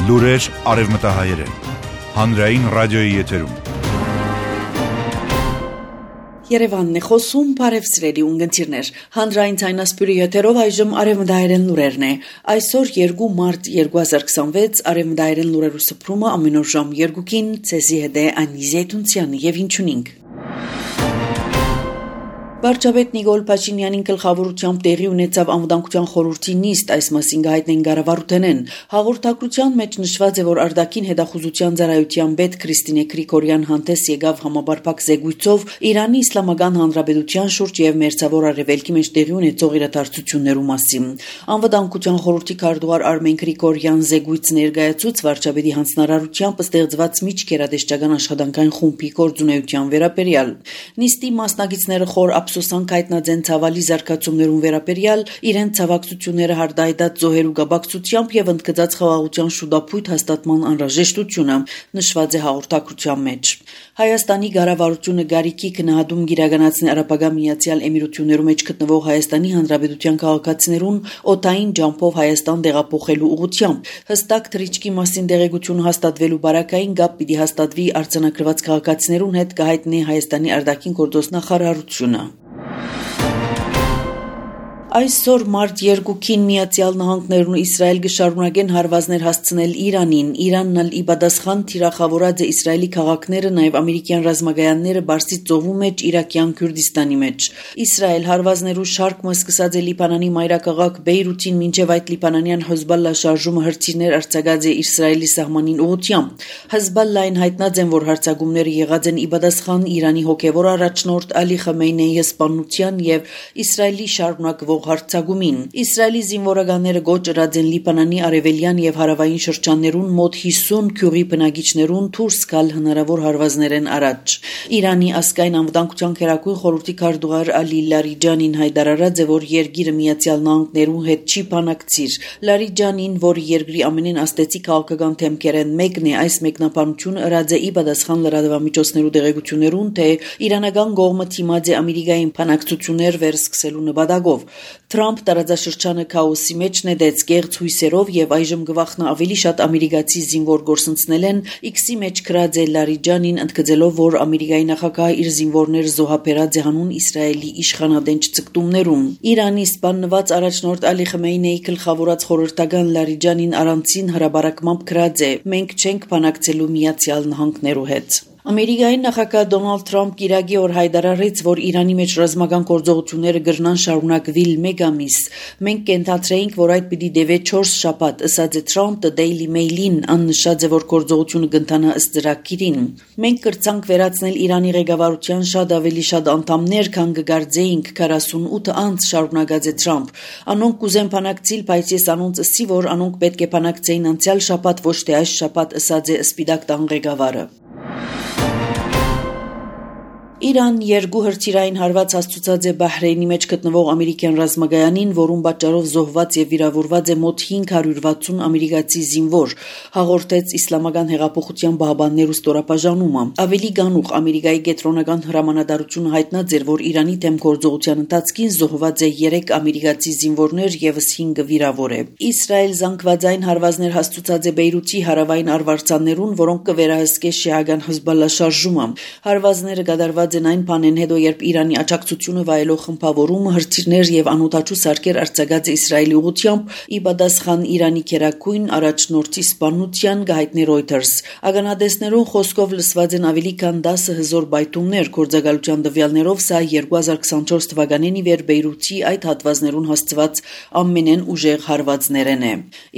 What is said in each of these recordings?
Լուրեր արևմտահայերեն, հանրային ռադիոյի եթերում։ Երևանն է խոսում, բարև սիրելի ունգընտիրներ, հանրային ցայնասպյուրի եթերով այժմ արևմտահայերեն լուրերն է։ Այսօր 2 մարտ 2026 արևմտահայերեն լուրերու սփռումը ամեն օր ժամ 2-ին ցեզի հետ է Անի Զեյթունցյանը եւ ինչունինք։ Վարչապետ Նիկոլ Փաշինյանին գլխավորությամբ տեղի ունեցավ անվտանգության խորհրդի նիստ, այս մասին գահիտնեն Գարավարութենեն։ Հաղորդակցության մեջ նշված է, որ արտաքին հետախուզության ծառայության պետ Քրիստինե Գրիգորյան հանդես եկավ համապարփակ զեկույցով Իրանի Իսլամական Հանրապետության շուրջ եւ Մերձավոր Արևելքի մեջ տեղի ունեցող իրադարձություններու մասին։ Անվտանգության խորհրդի քարտուղար Արմեն Գրիգորյան զեկույց ներկայացուց վարչապետի հանձնարարությամբ ստեղծված միջկերադեշտական աշխատանքային խումբի գործունեության վերաբերյալ։ Նիստի մասնակիցները խոր ափսոսանք հայտնած են ցավալի զարգացումներուն վերաբերյալ, իրենց ցավակցությունները հardայդած զոհերու գաբակցությամբ եւ ընդգծած խաղաղության շուտապույտ հաստատման անհրաժեշտությունը, նշված է հաղորդակցության մեջ։ Հայաստանի ղարավարությունը Գարիկի քննադում գիրականացնի Արաբական Միացյալ Էմիրություններու մեջ գտնվող Հայաստանի Հանրապետության քաղաքացիներուն օտային ջամփով Հայաստան տեղափոխելու ուղղությամբ։ Հստակ թռիչքի մասին տեղեկություն հաստատվելու բարակային գապ պիտի հաստատվի արձանագրված քաղաքացիներուն հետ, կհայտնի Հայաստանի արտաքին գործոստ նախարարությունը։ Այսօր մարտ 2-ին Միացյալ Նահանգներն ու Իսրայել կշարունակեն հարվածներ հասցնել Իրանին։ Իրանն ալ ի պատասխան թիրախավորած է Իսրայելի քաղաքները, նաև ամերիկյան ռազմագայանները Պարսից ծովու մեջ, Իրաքյան Քուրդիստանի մեջ։ Իսրայել հարվածներու շարքը սկսած է Լիբանանի մայրաքաղաք Բեյրութին մինչև այդ լիբանանյան Հեզբոլլա շարժումը հրթիռներ արձակած է Իսրայելի սահմանին ուղղությամբ։ Հեզբոլլային հայտնած են, որ հարձակումները եղած են ի պատասխան Իրանի հոգևոր առաջնորդ Ալի Խամեյնեի սպանության եւ Իսրայելի շարունակվող հարձակումին։ Իսրայելի զինվորականները գոչրած են Լիբանանի արևելյան եւ հարավային շրջաններուն մոտ 50 քյուղի բնակիչներուն դուրս գալ հնարավոր հարվածներեն առաջ։ Իրանի ազգային անվտանգության քերակույն խորհրդի քարտուղար Ալի Լարիջանին հայտարարած է, որ երկիրը Միացյալ Նահանգներու հետ չի բանակցիր։ Լարիջանին, որ երկրի ամենեն աստեցի քաղաքական թեմքերեն մեկն է, այս մեկնաբանությունը ըրած է ի պատասխան լրատվամիջոցներու տեղեկություններուն, թե իրանական կողմը թիմած է Ամերիկային բանակցություններ վերսկսելու նպատակով։ Թրամփ տարածաշրջանը քաոսի մեջ նետեց կեղծ հույսերով եւ այժմ գվախնա ավելի շատ ամերիկացի զինվոր գործընծնել են X-ի մեջ գրած է Լարիջանին, ընդգծելով, որ Ամերիկայի նախագահը իր զինվորները զոհաբերած է հանուն Իսրայելի իշխանադենչ ցկտումներում։ Իրանի սպանված առաջնորդ Ալի Խամեյնեի գլխավորած խորհրդական Լարիջանին առանցին հրաբարակմամբ գրած է. «Մենք չենք բանակցելու Միացյալ Նահանգներու հետ»։ Ամերիկայի նախագահ Դոնալդ Թրամփ կիրակի օր հայտարարեց, որ Իրանի մեջ ռազմական գործողությունները կրնան շարունակվել մեկ ամիս։ Մենք կենթադրեինք, որ այդ պիտի դեվե 4 շաբաթ, ըսած է Թրամփը Daily Mail-ին, աննշած է, որ գործողությունը կընթանա ըստ ծրագրին։ Մենք կրցանք վերացնել Իրանի ղեկավարության շատ ավելի շատ անդամներ, քան կգարձեինք 48 անց, շարունակած է Թրամփ։ Անոնք կուզեն բանակցիլ, բայց ես անոնց ըսի, որ անոնք պետք է բանակցեին անցյալ շաբաթ, ոչ թե այս շաբաթ, ըսած է Սպիտակ տան ղեկավարը։ Իրան 2 հրթիռային հարված հասցուցած է Բահրեյնի մեջ գտնվող ամերիկյան ռազմագայանին, որում պատճառով զոհված եւ վիրավորված է մոտ 560 ամերիկացի զինվոր, հաղորդեց Իսլամական հեղափոխության բահբաններու ստորապաժանումը։ Ավելի գանուխ Ամերիկայի կենտրոնական հրամանատարությունը հայտնած էր, որ Իրանի դեմ գործողության ընթացքին զոհված է 3 ամերիկացի զինվորներ եւս 5 վիրավոր է։ Իսրայել զանգվածային հարվածներ հասցուցած է Բեյրութի հարավային արվարձաններուն, որոնք կվերահսկե շիական Հեզբոլլա շարժումը։ Հարվածները կատարված են այն բանեն հետո, երբ Իրանի աջակցությունը վայելող խմբավորումը հրթիռներ եւ անօդաչու սարքեր արձակած է Իսրայելի ուղղությամբ, ի պատասխան Իրանի քերակույն առաջնորդի սպանության, գահիտնի Reuters։ Ականադեսներուն խոսքով լսված են ավելի քան 10 հզոր բայթումներ, գործակալության տվյալներով սա 2024 թվականին ի վեր Բեյրութի այդ հատվածներուն հասցված ամենեն ուժեղ հարվածներն է։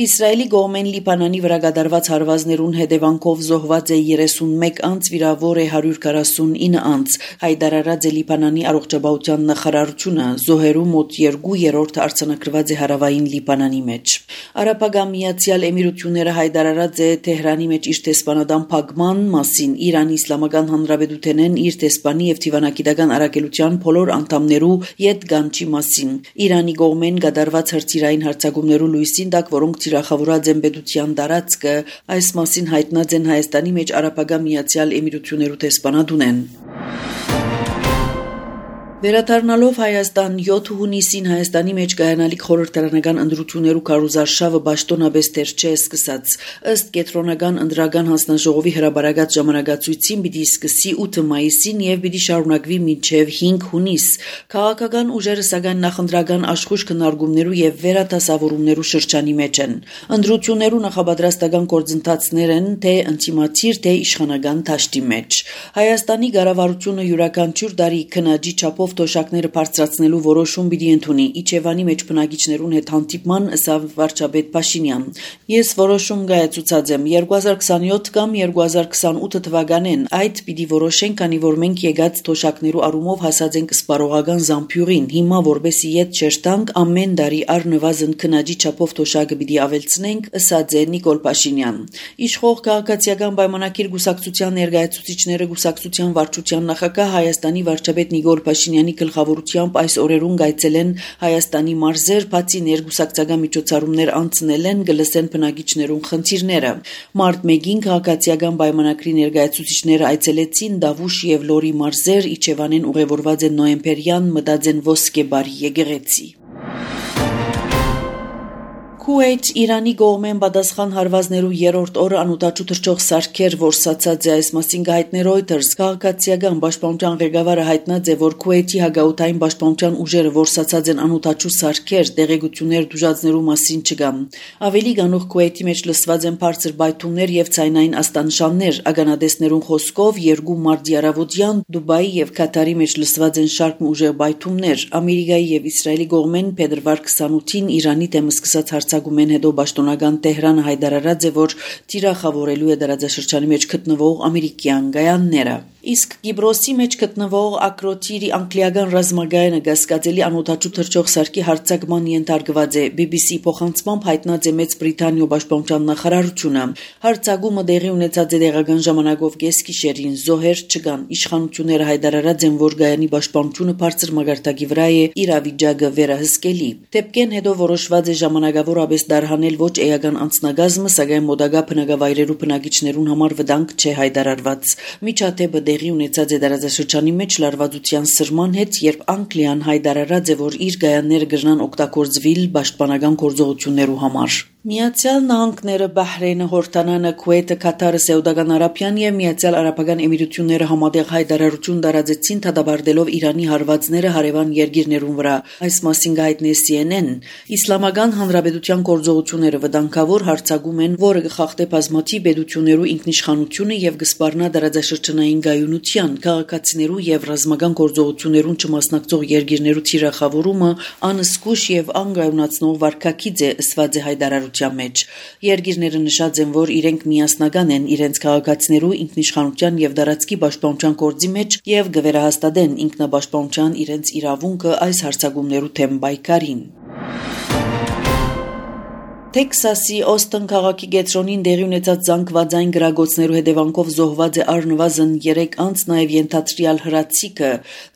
Իսրայելի կողմեն Լիբանանի վրա կատարված հարվածներուն հետևանքով զոհված է 31 անձ, վիրավոր է 149 անձ, հայտարարած է Լիբանանի առողջապահության նախարարությունը։ Զոհերու մոտ 2/3 արձանագրված է հարավային Լիբանանի մեջ։ Արաբական Միացյալ Էմիրությունները հայտարարած է Թեհրանի մեջ իր տեսփանադամ փակման մասին։ Իրանի Իսլամական Հանրապետութենեն իր տեսփանի եւ դիվանագիտական առաքելության բոլոր անդամներու յետ գանչի մասին։ Իրանի կողմեն կատարված հրթիռային հարձակումներու լույսին տակ, որոնք թիրախավորած են պետության տարածքը, այս մասին հայտնած են Հայաստանի մեջ Արաբական Միացյալ Էմիրություններու տեսփանադունեն։ Վերադառնալով Հայաստան 7 հունիսին Հայաստանի մեջ կայանալիք խորհրդարանական ընտրություններու քարոզարշավը պաշտոնաբեստեր չէ սկսած։ Ըստ կենտրոնական ընտրական հանձնաժողովի հրաբարակած ժամանակացույցին պիտի սկսի 8 մայիսին եւ պիտի շարունակվի մինչեւ 5 հունիս։ Քաղաքական ուժերը սակայն նախընտրական աշխույժ քննարկումներու եւ վերադասավորումներու շրջանի մեջ են։ Ընտրություններու նախապատրաստական գործընթացներ են թե ինտիմատիր թե իշխանական դաշտի մեջ։ Հայաստանի կառավարությունը յուրաքանչյուր տարի քննադի չափով թոշակները բարձրացնելու որոշում պիտի ընդունի Իջևանի մեջ բնակիչներուն հետ հանդիպման ըստ վարչապետ Փաշինյան։ Ես որոշում կայացուցած եմ 2027 կամ 2028 թվականին այդ պիտի որոշենք, քանի որ մենք եկած թոշակներու առումով հասած ենք սպառողական զամբյուղին։ Հիմա որբեսի իդ չերտանք ամեն տարի առնվազն քննադի չափով թոշակը պիտի ավելցնենք, ըստ Նիկոլ Փաշինյան։ Իշխող քաղաքացիական պայմանագիր գուսակցության ներկայացուցիչները գուսակցության վարչության նախագահ Հայաստանի վարչապետ Նիկոլ Փաշինյանի գլխավորությամբ այս օրերուն գայցել են Հայաստանի մարզեր, բացի ներգուսակցական միջոցառումներ անցնել են, գլսեն բնակիչներուն խնդիրները։ Մարտ 1-ին քաղաքացիական պայմանագրի ներկայացուցիչները այցելեցին Դավուշ եւ Լորի մարզեր, Իջևանին ուղևորված են նոյեմբերյան մտածեն ոսկե բարի եկեղեցի։ Քուվեյթ Իրանի կողմեն պատասխան հարվածներու երրորդ օրը անուտաչու թռչող սարքեր որսացած է այս մասին հայտներ Reuters քաղաքացիական պաշտպանության ղեկավարը հայտնած է որ Քուվեյթի հագաուտային պաշտպանության ուժերը որսացած են անուտաչու սարքեր տեղեկություններ դժուժացնելու մասին չկա ավելի գանուխ Քուվեյթի մեջ լսված են բարձր բայթումներ եւ ցայնային աստանշաններ ագանադեսներուն խոսքով 2 մարտի առավոտյան Դուբայի եւ Կատարի մեջ լսված են շարք ուժեղ բայթումներ Ամերիկայի եւ Իսրայելի կողմեն փետրվար 28-ին Իրանի դեմ սկսած Գումեն հետո պաշտոնական Տեհրանը հայտարարած է, որ թիրախավորելու է դարաձաշրջանի մեջ գտնվող ամերիկյան գայանները։ Իսկ Կիպրոսի մեջ գտնվող Ակրոտիրի անգլիական ռազմագայանը գասկածելի անօդաչու թռչող սարքի հարձակման ենթարկված է BBC փոխանցմամբ հայտնած է Մեծ Բրիտանիա պաշտպանության նախարարությունը հարձակումը տեղի ունեցած է տեղական ժամանակով կեսգիշերին զոհեր չկան իշխանությունները հայտարարած են որ գայանի պաշտպանությունը բարձր մագարտակի վրա է իրավիճակը վերահսկելի դեպքեն հետո որոշված է ժամանակավորապես դարհանել ոչ էական անձնագազմը սակայն մոդագա բնակավայրերու բնակիչներուն համար վտանգ չէ հայտարարված միջադեպը տեղի ունեցած է դարաձաշրջանի մեջ լարվածության սրման հետ, երբ Անգլիան հայտարարած է, որ իր գայանները կրնան օգտագործվել պաշտպանական գործողություններու համար։ Միացյալ Նահանգները, Բահրեյնը, Հորդանանը, Քուվեյթը, Կատարը, Սաուդական Արաբիան եւ Միացյալ Արաբական Էմիրությունները համատեղ հայտարարություն տարածեցին դադարելով Իրանի հարվածները հարևան երկիրներուն վրա։ Այս մասին հայտնի է CNN։ Իսլամական Հանրապետության գործողությունները վտանգավոր հարձակում են, որը կխախտե բազմաթիվ պետություններու ինքնիշխանությունը եւ կսպառնա դարաձաշրջանային գայունության, քաղաքացիներու եւ ռազմական գործողություններուն չմասնակցող երկիրներու թիրախավորումը անզգույշ եւ անգայունացնող վարկակից է ըստ հայտարարության մեջ երկիրները նշած են որ իրենք միասնական են իրենց քաղաքացիներու ինքնիշխանության եւ դարածքի պաշտպանության գործի մեջ եւ կվերահաստատեն ինքնապաշտպանության իրենց իրավունքը այս հարձակումներու թեմ պայքարին Տեքսասի Օստին քաղաքի կենտրոնին տեղի ունեցած զանգվածային գրագոցներու հետևանքով զոհված է առնվազն 3 անձ, նաև ենթադրյալ հրացիկը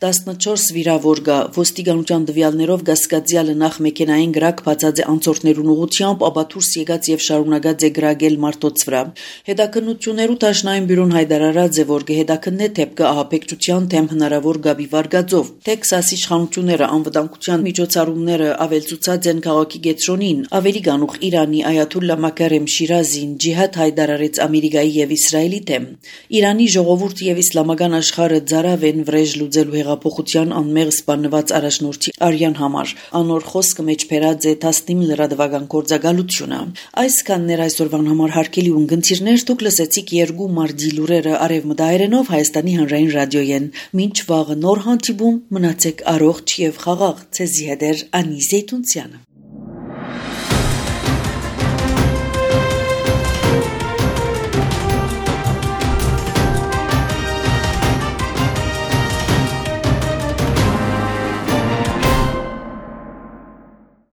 14 վիրավոր կա։ Ոստիկանության տվյալներով գասկածյալը նախ մեքենային գրակ բացած է անցորդներուն ուղղությամբ, ապա դուրս եկած եւ շարունակած է գրագել մարդոց վրա։ Հետաքննություններու Տաշնային բյուրոն հայտարարած է, որ կհետաքննե դեպքը ահաբեկչության թեմ հնարավոր գաբի վարկածով։ Տեքսասի իշխանությունները անվտանգության միջոցառումները ավելցուցած են քաղաքի կենտրոնին, ավելի գանուխ Իրանի Այաթուլլա Մակարեմ Շիրազին ջիհադ հայտարարեց Ամերիկայի եւ Իսրայելի դեմ։ Իրանի ժողովուրդը եւ իսլամական աշխարհը ծարավ են վրեժ լուծելու հեղափոխության անմեղ սպանված առաջնորդի արյան համար։ Անոր խոսքը մեջ բերած է 19 լրատվական գործակալությունը։ Այսքաններ այսօրվան համար հարգելի ունգընտիրներ, դուք լսեցիք 2 մարտի լուրերը արևմտահայերենով Հայաստանի հանրային ռադիոյեն։ Մինչ վաղը նոր հանդիպում մնացեք առողջ եւ խաղաղ։ Ցեզի հետ Անի Զեյթունցյանը։